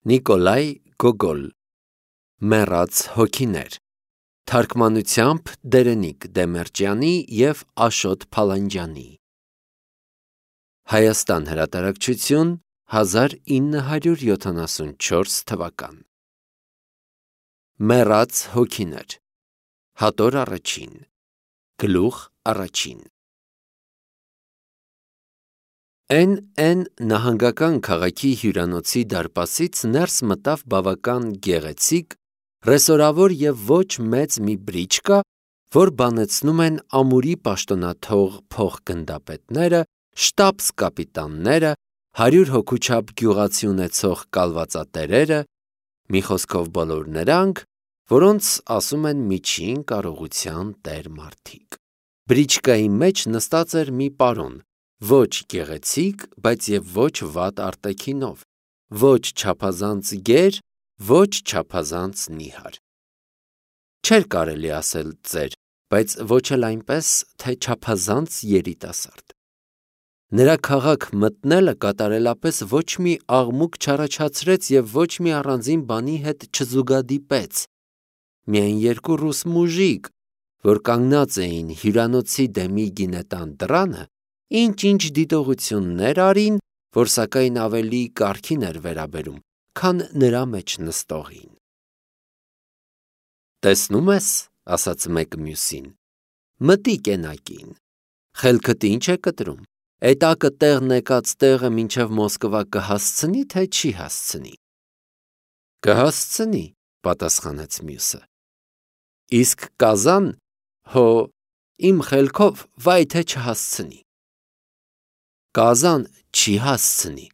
Նիկոլայ Գոգոլ Մեռած հոգիներ Թարգմանությամբ Դերենիկ Դեմերճյանի և Աշոտ Փալանջյանի Հայաստան հրատարակչություն 1974 թվական Մեռած հոգիներ Հատոր առաջին Գլուխ առաջին N նահանգական քաղաքի հյուրանոցի դարպասից ներս մտավ բավական գեղեցիկ, ռեսորավոր և ոչ մեծ մի բրիչկա, որ բանեցնում են ամուրի պաշտոնաթող փոխգնդապետները, շտաբս-կապիտանները, 100 հոգու չափ գյուղացի ունեցող կալվածատերերը, մի խոսքով բոլոր նրանք, որոնց ասում են միջին կարողության տեր-մարդիկ։ Բրիչկայի մեջ նստած էր մի պարոն, ոչ գեղեցիկ, բայց և ոչ վատ արտաքինով, ոչ չափազանց գեր, ոչ չափազանց նիհար։ Չէր կարելի ասել ծեր, բայց ոչ էլ այնպես, թե չափազանց երիտասարդ։ Նրա քաղաք մտնելը կատարելապես ոչ մի աղմուկ չառաջացրեց և ոչ մի առանձին բանի հետ չզուգադիպեց։ Միայն երկու ռուս մուժիկ, որ կանգնած էին հյուրանոցի դեմի գինետան դռանը, ինչ-ինչ դիտողություններ արին, որ սակայն ավելի կարգին էր վերաբերում, քան նրա մեջ նստողին։ «Տեսնում ես,» ասաց մեկը մյուսին, «մտիկ էնակին, խելքդ ինչ է կտրում, էդ ակը տեղն եկած տեղը մինչև Մոսկվա կհասցնի, թե չի հասցնի»։ «Կհասցնի,» պատասխանեց մյուսը։ «Իսկ կազան, հո, իմ խելքով, վայ թե չհասցնի»։ «Կազան չի հասցնի,»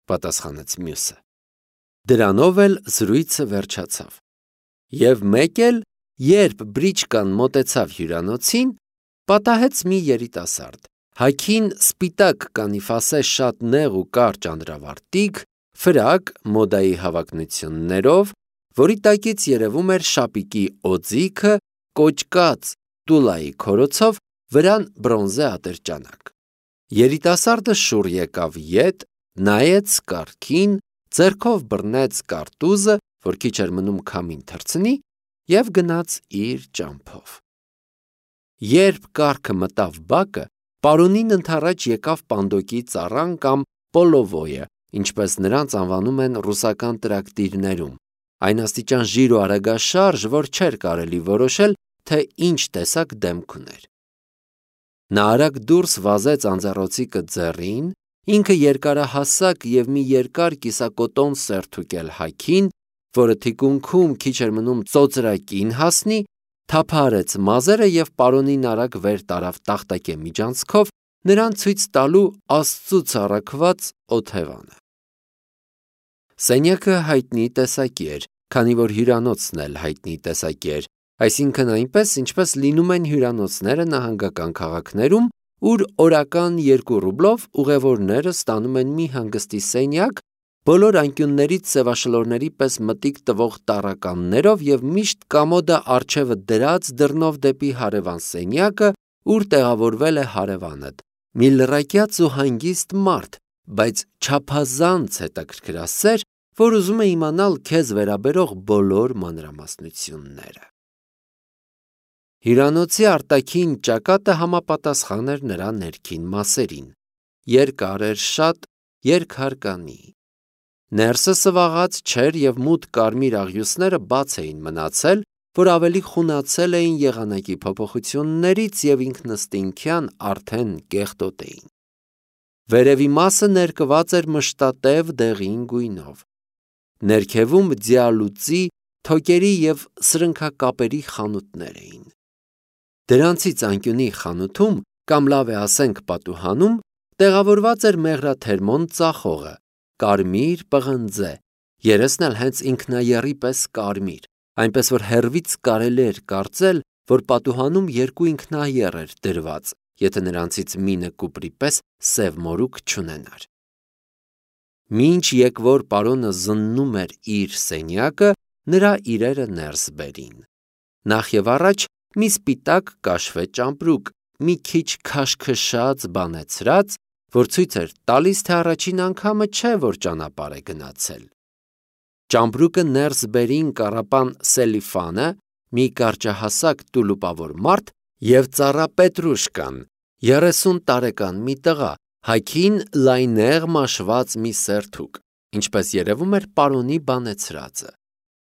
պատասխանեց մյուսը։ Դրանով էլ զրույցը վերջացավ։ Եվ մեկ էլ, երբ բրիչկան մոտեցավ հյուրանոցին, պատահեց մի երիտասարդ, հագին սպիտակ կանիֆասե շատ նեղ ու կարճ անդրավարտիք, ֆրակ մոդայի հավակնություններով, որի տակից երևում էր շապիկի օձիքը, կոճկած տուլայի քորոցով, վրան բրոնզե ատրճանակ։ Երիտասարդը շուռ եկավ ետ, նայեց կառքին, ձեռքով բռնեց կարտուզը, որ քիչ էր մնում քամին թռցնի, և գնաց իր ճամփով։ Երբ կառքը մտավ բակը, պարոնին ընդառաջ եկավ պանդոկի ծառան կամ պոլովոյը, ինչպես նրանց անվանում են ռուսական տրակտիրներում, այն աստիճան ժիր ու արագաշարժ, որ չէր կարելի որոշել, թե ինչ տեսակ դեմք ուներ։ Նա արագ դուրս վազեց անձեռոցիկը ձեռին, ինքը երկարահասակ և մի երկար կիսակոտոն սերթուկել հագին, որը թիկունքում քիչ էր մնում ծոծրակին հասնի, թափահարեց մազերը և պարոնին արագ վեր տարավ տախտակե միջանցքով, նրան ցույց տալու Աստծուց առաքված օթևանը։ Սենյակը հայտնի տեսակի էր, քանի որ հյուրանոցն էլ հայտնի տեսակի էր, այսինքն այնպես, ինչպես լինում են հյուրանոցները նահանգական քաղաքներում, ուր օրական 2 ռուբլով ուղևորները ստանում են մի հանգստի սենյակ, բոլոր անկյուններից սևաշլորների պես մտիկ տվող տառականներով և միշտ կամոդը առջևը դրած դռնով դեպի հարևան սենյակը, ուր տեղավորվել է հարևանդ, մի լռակյաց ու հանգիստ մարդ, բայց չափազանց հետաքրքրասեր, որ ուզում է իմանալ քեզ վերաբերող բոլոր մանրամասնությունները։ Հյուրանոցի արտաքին ճակատը համապատասխան էր նրա ներքին մասերին, երկար էր շատ, երկհարկանի։ Ներսը սվաղած չէր և մութ կարմիր աղյուսները բաց էին մնացել, որ ավելի խունացել էին եղանակի փոփոխություններից և ինքնըստինքյան արդեն կեղտոտ էին։ Վերևի մասը ներկված էր մշտատև դեղին գույնով։ Ներքևում ձիալուծի, թոկերի և սրընքակապերի խանութներ էին։ Դրանցից անկյունի խանութում, կամ լավ է ասենք պատուհանում, տեղավորված էր մեղրաթերմոն ծախողը, կարմիր պղնձե, երեսն էլ հենց ինքնաեռի պես կարմիր, այնպես որ հեռվից կարելի էր կարծել, որ պատուհանում 2 ինքնաեռ էր դրված, եթե նրանցից մինը կուպրի պես սև մորուք չունենար։ Մինչ եկվոր պարոնը զննում էր իր սենյակը, նրա իրերը ներս բերին։ Նախ և առաջ մի սպիտակ կաշվե ճամպրուկ, մի քիչ քաշքշած բանեցրած, որ ցույց էր տալիս, թե առաջին անգամը չէ, որ ճանապարհ է գնացել։ Ճամպրուկը ներս բերին կառապան Սելիֆանը, մի կարճահասակ տուլուպավոր մարդ, եւ ծառա Պետրուշկան, 30 տարեկան մի տղա, հագին լայնեղ մաշված մի սերթուկ, ինչպես երևում էր պարոնի բանեցրածը,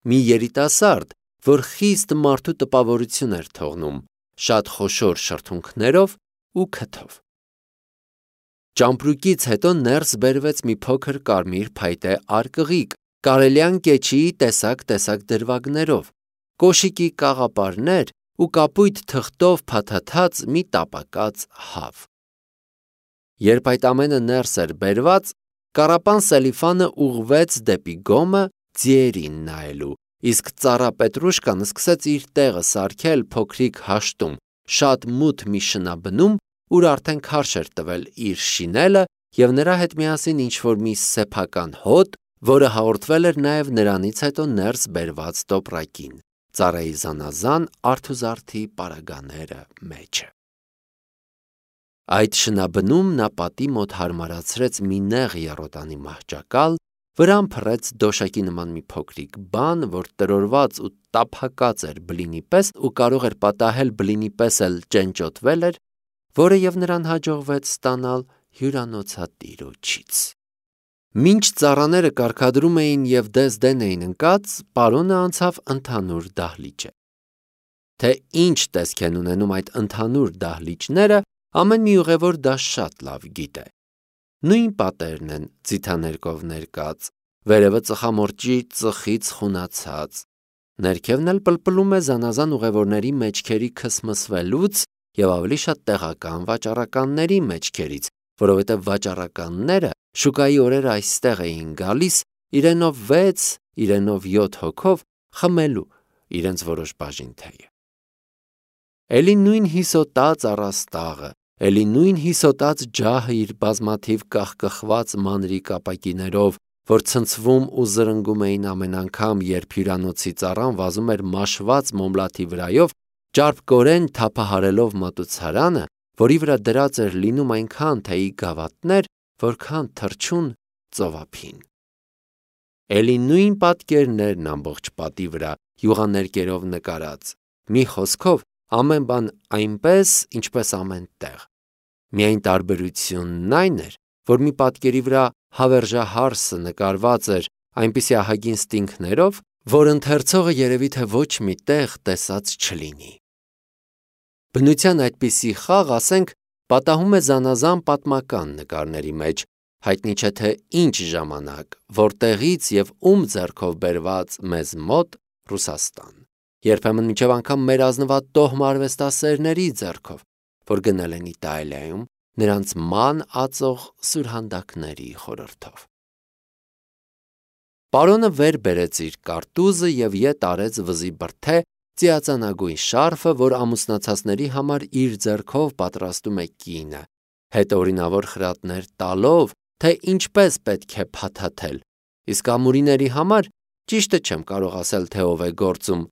մի երիտասարդ, որ խիստ մարդու տպավորություն էր թողնում, շատ խոշոր շրթունքներով ու քթով։ Ճամպրուկից հետո ներս բերվեց մի փոքր կարմիր փայտե արկղիկ, կարելյան կեչիի տեսակ դրվագներով, կոշիկի կաղապարներ ու կապույտ թղթով փաթաթած մի տապակած հավ։ Երբ այդ ամենը ներս էր բերված, կառապան Սելիֆանը ուղղվեց դեպի գոմը ձիերին նայելու, իսկ ծառա Պետրուշկան սկսեց իր տեղը սարքել փոքրիկ հաշտում, շատ մութ մի շնաբնում, ուր արդեն քարշ էր տվել իր շինելը եւ նրա հետ միասին ինչ-որ մի սեփական հոտ, որը հաղորդվել էր նաև նրանից հետո ներս բերված տոպրակին, ծառայի զանազան արթուզարդի պարագաները մեջը։ Այդ շնաբնում նա պատի մոտ հարմարացրեց մի նեղ եռոտանի մահճակալ, վրան փռեց դոշակի նման մի փոքրիկ բան, որ տրորված ու տափակած էր բլինի պես ու կարող էր պատահել բլինի պես էլ ճենճոտվել էր, որը եւ նրան հաջողվեց ստանալ հյուրանոցատիրոջից։ Մինչ ծառաները կարգադրում էին եւ դես-դեն էին ընկած, պարոնը անցավ ընդհանուր դահլիճը։ Թե ինչ տեսք են ունենում այդ ընդհանուր դահլիճները, ամեն մի ուղևոր դա շատ լավ գիտե։ Նույն պատերն են ձիթաներկով ներկած, վերևը ծխամորճի ծխից խունացած, ներքևն էլ պլպլում է զանազան ուղևորների մեջքերի քսմսվելուց եւ ավելի շատ տեղական վաճառականների մեջքերից, որովհետեւ վաճառականները շուկայի օրերը այստեղ էին գալիս իրենով 6, իրենով 7 հոգով խմելու իրենց որոշ բաժին թեյը։ Էլի նույն հիսոտած առաստաղը, էլի նույն հիսոտած ջահը իր բազմաթիվ կախկխված մանրի կապակիներով, որ ցնցվում ու զրնգում էին ամեն անգամ, երբ հյուրանոցի ծառան վազում էր մաշված մոմլաթի վրայով, ճարպկորեն թափահարելով մատուցարանը, որի վրա դրած էր լինում այնքան թեյի գավաթներ, որքան թռչուն ծովափին։ Էլի նույն պատկերներն ամբողջ պատի վրա յուղաներկերով նկարած, մի խոսքով ամեն բան այնպես, ինչպես ամեն տեղ։ Միայն տարբերությունն այն էր, որ մի պատկերի վրա հավերժահարսը նկարված էր այնպիսի ահագին ստինքներով, որ ընթերցողը երևի թե ոչ մի տեղ տեսած չլինի։ Բնության այդպիսի խաղ, ասենք, պատահում է զանազան պատմական նկարների մեջ, հայտնի չէ թե ինչ ժամանակ, որտեղից եւ ում ձեռքով բերված մեզ մոտ Ռուսաստան, երբեմն մինչև անգամ մեր ազնվատ տոհմ արվեստասերների ձեռքով, որ գնել են Իտալիայում նրանց ման ածող սուրհանդակների խորհրդով։ Պարոնը վեր բերեց իր կարտուզը եւ ետ արեց վզի բրթե ծիածանագույն շարֆը, որ ամուսնացածների համար իր ձեռքով պատրաստում է կինը, հետ օրինավոր խրատներ տալով, թե ինչպես պետք է փաթաթել, իսկ ամուրիների համար ճիշտը չեմ կարող ասել, թե ով է գործում,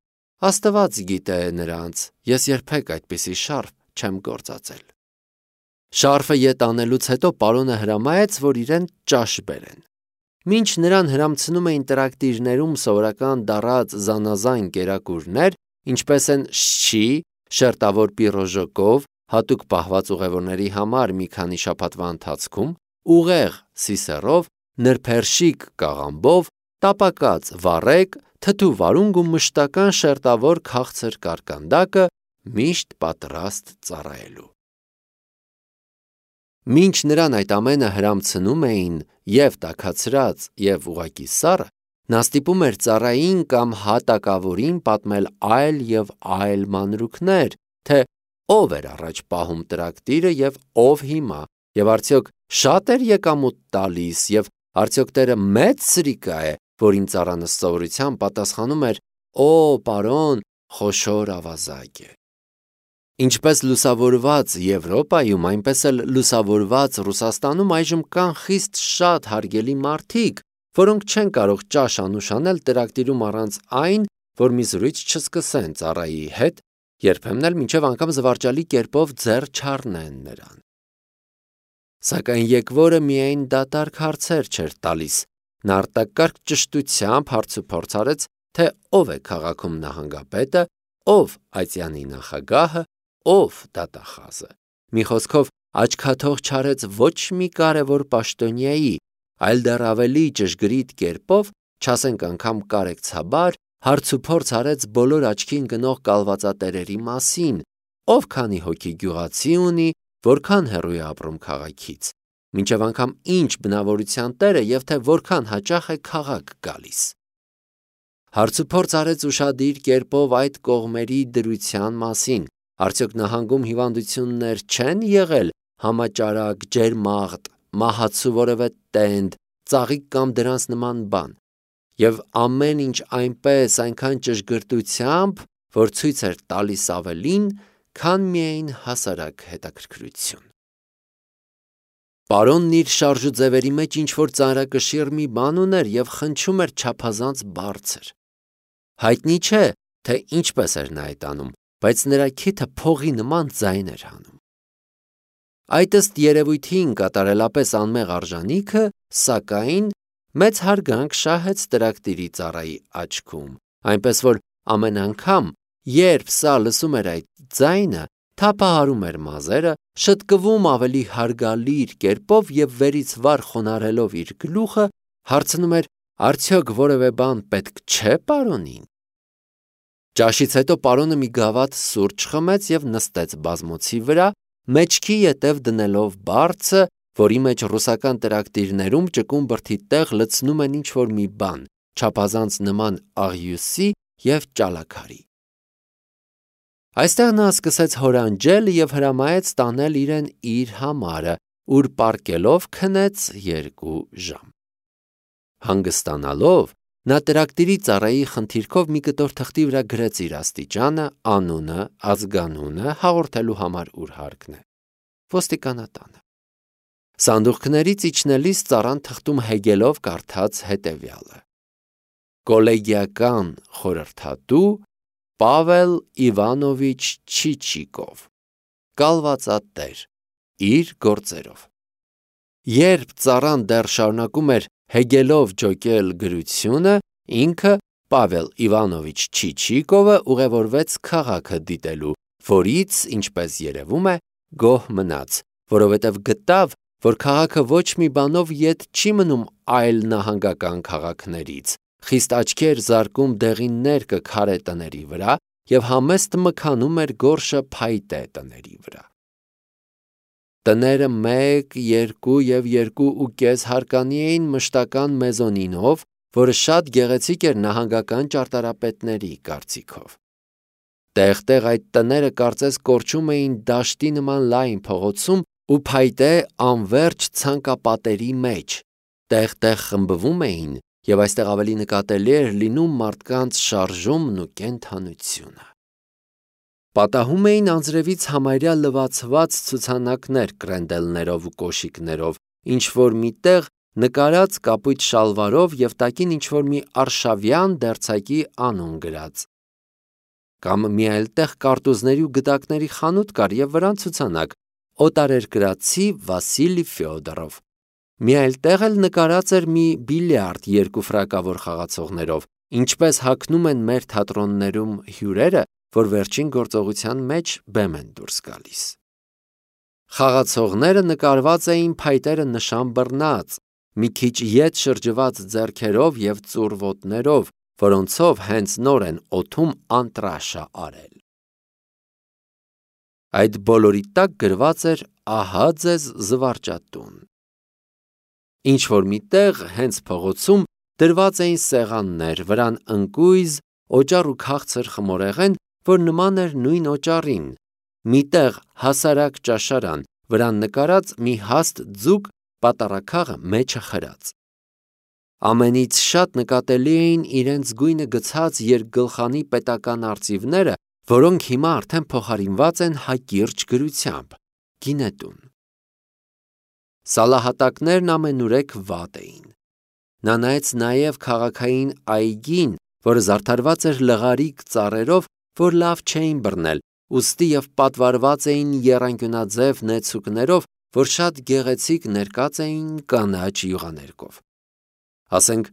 Աստված գիտե նրանց, ես երբեք այդպիսի շարֆ չեմ գործածել։ Շարֆը ետ անելուց հետո պարոնը հրամայեց, որ իրեն ճաշ բերեն։ Մինչ նրան հրամցնում էին տրակտիրներում սովորական դառած զանազան կերակուրներ, ինչպես են շչի, շերտավոր պիրոժոկով, հատուկ պահված ուղևորների համար մի քանի շաբաթվա ընթացքում, ուղեղ սիսերով, նրբերշիկ կաղամբով, տապակած վառեկ, թթու վարունգ ու մշտական շերտավոր քաղցր կարկանդակը միշտ պատրաստ ծառայելու։ Մինչ նրան այդ ամենը հրամցնում էին եւ տաքացրած եւ ուղակի սառը, նա ստիպում էր ծառային կամ հատակավորին պատմել այլ եւ այլ մանրուքներ, թե ով էր առաջ պահում տրակտիրը եւ ով հիմա, եւ արդյոք շատ էր եկամուտ տալիս, եւ արդյոք տերը մեծ սրիկա է, որին ծառան ըստ պատասխանում էր. «Օ, պարոն, խոշոր ավազակ է»։ Ինչպես լուսավորված Եվրոպայում, այնպես էլ լուսավորված Ռուսաստանում այժմ կան խիստ շատ հարգելի մարդիկ, որոնք չեն կարող ճաշ անուշանել տրակտիրում առանց այն, որ մի զրույց չսկսեն ծառայի հետ, երբեմն էլ մինչև անգամ զվարճալի կերպով ձեռ չառնեն նրան։ Սակայն եկվորը միայն դատարկ հարցեր չէր տալիս, Նա արտակարգ ճշտությամբ հարցուփորձ արեց, թե ով է քաղաքում նահանգապետը, ով այծյանի նախագահը, ով դատախազը։ Մի խոսքով, աչքաթող չարեց ոչ մի կարևոր պաշտոնյայի, այլ դեռ ավելի ճշգրիտ կերպով, չասենք անգամ կարեկցաբար, հարցուփորձ արեց բոլոր աչքին գնող կալվածատերերի մասին, ով քանի հոգի գյուղացի ունի, որքան հեռու է ապրում քաղաքից, մինչև անգամ ինչ բնավորության տեր է և թե որքան հաճախ է քաղաք գալիս։ Հարցուփորձ արեց ուշադիր կերպով այդ կողմերի դրության մասին, արդյոք նահանգում հիվանդություններ չեն եղել համաճարակ, ջերմաղտ, մահացու որևէ տենդ, ծաղիկ կամ դրանց նման բան, և ամեն ինչ այնպես այնքան ճշգրտությամբ, որ ցույց էր տալիս ավելին, քան միայն հասարակ հետաքրքրություն։ Պարոնն իր շարժուձևերի մեջ ինչ-որ ծանրակշիռ մի բան ուներ և խնչում էր չափազանց բարձր։ Հայտնի չէ, թե ինչպես էր նա այդ անում, բայց նրա քիթը փողի նման ձայն էր հանում։ Այդ ըստ երևույթին կատարելապես անմեղ արժանիքը, սակայն, մեծ հարգանք շահեց տրակտիրի ծառայի աչքում, այնպես որ ամեն անգամ, երբ սա լսում էր այդ ձայնը, թափահարում էր մազերը, շտկվում ավելի հարգալիր կերպով և վերից վար խոնարհելով իր գլուխը, հարցնում էր, արդյոք որևէ բան պետք չէ պարոնին։ Ճաշից հետո պարոնը մի գավաթ սուրճ խմեց և նստեց բազմոցի վրա, մեջքի ետև դնելով բարձը, որի մեջ ռուսական տրակտիրներում ճկուն բրդի տեղ լցնում են ինչ-որ մի բան, չափազանց նման աղյուսի և ճալաքարի։ Այստեղ նա սկսեց հորանջել և հրամայեց տանել իրեն իր համարը, ուր պառկելով քնեց 2 ժամ։ Հանգստանալով, նա տրակտիրի ծառայի խնդիրքով մի կտոր թղթի վրա գրեց իր աստիճանը, անունը, ազգանունը, հաղորդելու համար ուր հարկն է։ Ոստիկանատանը։ Սանդուղքներից իջնելիս ծառան թղթում հեգելով կարդաց հետևյալը. Կոլեգիական խորհրդատու Պավել Իվանովիչ Չիչիկով, կալվածատեր, իր գործերով։ Երբ ծառան դեռ շարունակում էր հեգելով ջոկել գրությունը, ինքը Պավել Իվանովիչ Չիչիկովը ուղևորվեց քաղաքը դիտելու, որից, ինչպես երևում է, գոհ մնաց, որովհետև գտավ, որ քաղաքը ոչ մի բանով ետ չի մնում այլ նահանգական քաղաքներից, խիստ աչքի էր զարկում դեղիններ քարե տների վրա և համեստ մքանում էր գորշը փայտե տների վրա։ Տները 1, 2 և 2.5 հարկանի էին մշտական մեզոնինով, որը շատ գեղեցիկ էր նահանգական ճարտարապետների կարծիքով։ Տեղ-տեղ այդ տները կարծես կորչում էին դաշտի նման լայն փողոցում ու փայտե անվերջ ցանկապատերի մեջ, տեղ-տեղ խմբվում էին և այստեղ ավելի նկատելի էր լինում մարդկանց շարժումն ու կենդանությունը։ Պատահում էին անձրևից համարյա լվացված ցուցանակներ կրենդելներով ու կոշիկներով, ինչ-որ մի տեղ նկարած կապույտ շալվարով և տակին ինչ-որ մի արշավյան դերձակի անուն գրած։ Կամ մի այլ տեղ կարտուզների ու գդակների խանութ կար և վրան ցուցանակ օտարերկրացի Վասիլի Ֆյոդորով։ Մի այլ տեղ էլ նկարած էր մի բիլիարդ 2 ֆրակավոր խաղացողներով, ինչպես հագնում են մեր թատրոններում հյուրերը, որ վերջին գործողության մեջ բեմ են դուրս գալիս։ Խաղացողները նկարված էին փայտերը նշան բռնած, մի քիչ ետ շրջված ձեռքերով և ծուռ ոտներով, որոնցով հենց նոր են օդում անտրաշը արել։ Այդ բոլորի տակ գրված էր ահա ձեզ զվարճատուն։ Ինչ-որ մի տեղ հենց փողոցում դրված էին սեղաններ, վրան ընկույզ, օճառ ու քաղցր խմորեղեն, որ նման էր նույն օճառին, մի տեղ հասարակ ճաշարան, վրան նկարած մի հաստ ձուկ պատառաքաղը մեջը խրած։ Ամենից շատ նկատելի էին իրենց գույնը գցած երկգլխանի պետական արծիվները, որոնք հիմա արդեն փոխարինված են հակիրճ գրությամբ՝ գինետուն։ Սալահատակներն ամենուրեք վատ էին։ Նա նայեց նաև քաղաքային այգին, որը զարդարված էր լղարիկ ծառերով, որ լավ չէին բռնել, ուստի և պատվարված էին եռանկյունաձև նեցուկներով, որ շատ գեղեցիկ ներկած էին կանաչ յուղաներկով։ Ասենք,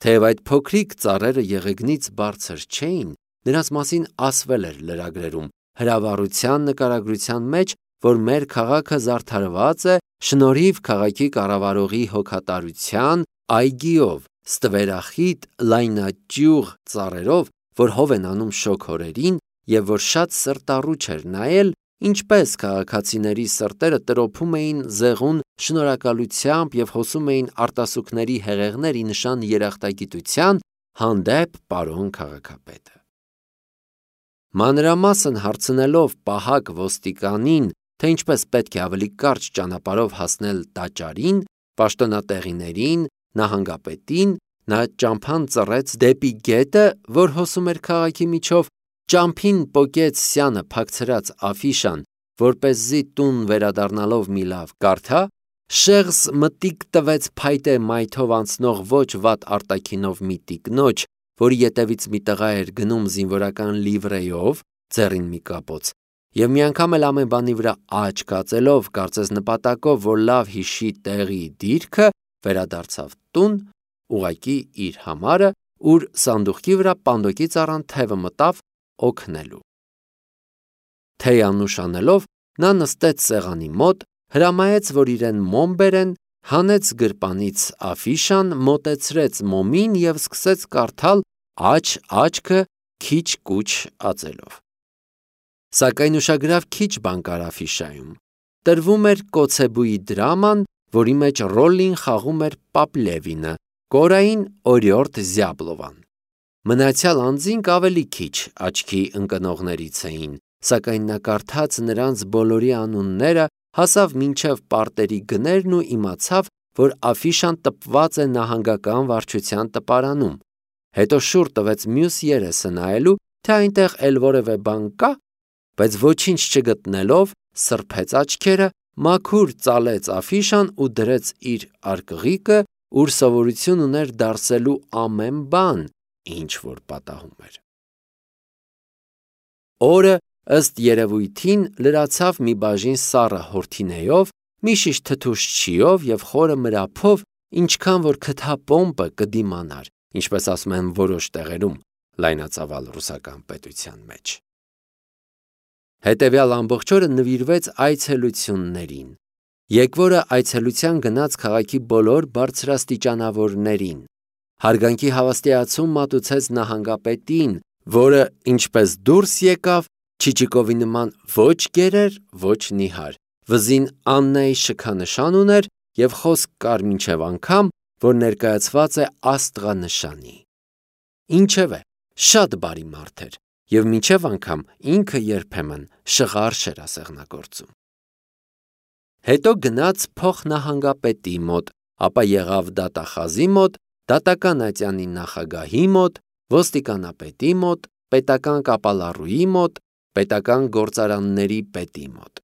թեև այդ փոքրիկ ծառերը եղեգնից բարձր չէին, նրանց մասին ասվել էր լրագրերում, հրավառության նկարագրության մեջ, որ մեր քաղաքը զարդարված է շնորհիվ քաղաքի կառավարողի հոգատարության, այգիով, ստվերախիտ, լայնաճյուղ ծառերով, որ հով են անում շոգ օրերին, եւ որ շատ սրտառուչ էր նայել, ինչպես քաղաքացիների սրտերը տրոփում էին զեղուն շնորհակալությամբ եւ հոսում էին արտասուքների հեղեղների նշան երախտագիտության հանդեպ պարոն քաղաքապետը։ Մանրամասն հարցնելով պահակ ոստիկանին, թե ինչպես պետք է ավելի կարճ ճանապարհով հասնել տաճարին, պաշտոնատեղիներին, նահանգապետին, նա ճամփան ծռեց դեպի գետը, որ հոսում էր քաղաքի միջով, ճամփին պոկեց սյանը փակցրած աֆիշան, որպեսզի տուն վերադառնալով մի լավ կարդա, շեղս մտիկ տվեց փայտե մայթով անցնող ոչ վատ արտաքինով մի տիկնոջ, որի ետևից մի տղա էր գնում զինվորական լիվրեյով, ձեռին մի կապոց, եւ մի անգամ էլ ամեն բանի վրա աչք կացելով, կարծես նպատակով, որ լավ հիշի տեղի դիրքը, վերադարձավ տուն, ուղակի իր համարը, ուր սանդուղքի վրա պանդոկից առան թևը մտավ օգնելու։ Թեյանուշ անելով, նա նստեց սեղանի մոտ, հրամայեց, որ իրեն մոմ բերեն, հանեց գրպանից աֆիշան, մոտեցրեց մոմին եւ սկսեց կարդալ աչքը քիչ-կուչ ածելով։ Սակայն ուշագրավ քիչ բան կար աֆիշայում։ Տրվում էր Կոցեբուի դրաման, որի մեջ ռոլին խաղում էր Պապլևինը, կորային Օրիորդ Զյաբլովան։ Մնացյալ անձինք ավելի քիչ աչքի ընկնողներից էին, սակայն նա կարդաց նրանց բոլորի անունները, հասավ մինչև պարտերի գներն ու իմացավ, որ աֆիշան տպված է նահանգական վարչության տպարանում։ Հետո շուռ տվեց մյուս երեսը նայելու, թե այնտեղ էլ որևէ բան կա, բայց ոչինչ չգտնելով, սրբեց աչքերը, մաքուր ծալեց աֆիշան ու դրեց իր արկղիկը, ուր սովորություն ուներ դարսելու ամեն բան, ինչ որ պատահում էր։ Օրը ըստ երևույթին լրացավ մի բաժին սառը հորթինեյով, մի շիշ թթուշ չիով եւ խորը մրափով, ինչքան որ քթապոմպը կդիմանար, ինչպես ասում են որոշ տեղերում լայնածավալ ռուսական պետության մեջ։ Հետևյալ ամբողջ օրը նվիրվեց այցելություններին։ Եկվորը այցելության գնաց քաղաքի բոլոր բարձրաստիճանավորներին։ Հարգանքի հավաստիացում մատուցեց նահանգապետին, որը ինչպես դուրս եկավ, Չիչիկովի նման ոչ գերեր, ոչ նիհար, վզին Աննայի շքանշան ուներ եւ խոսք կար մինչև անգամ, որ ներկայացված է աստղանշանի։ Ինչևէ, շատ բարի մարդ էր եւ մինչև անգամ ինքը երբեմն շղարշ էր ասեղնագործում։ Հետո գնաց փոխնահանգապետի մոտ, ապա եղավ դատախազի մոտ, դատական ատյանի նախագահի մոտ, ոստիկանապետի մոտ, պետական կապալառուի մոտ, պետական գործարանների պետի մոտ։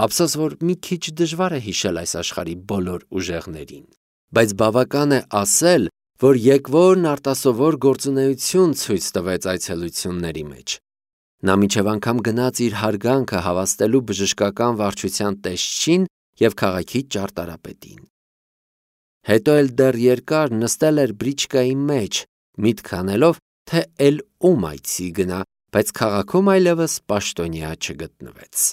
Ափսոս, որ մի քիչ դժվար է հիշել այս աշխարհի բոլոր ուժեղներին, բայց բավական է ասել, որ եկվորն արտասովոր գործունեություն ցույց տվեց այցելությունների մեջ։ Նա մինչև անգամ գնաց իր հարգանքը հավաստելու բժշկական վարչության տեսչին եւ քաղաքի ճարտարապետին։ Հետո էլ դեռ երկար նստել էր բրիչկայի մեջ, միտք անելով, թե էլ ում այցի գնա, բայց քաղաքում այլևս պաշտոնյա չգտնվեց։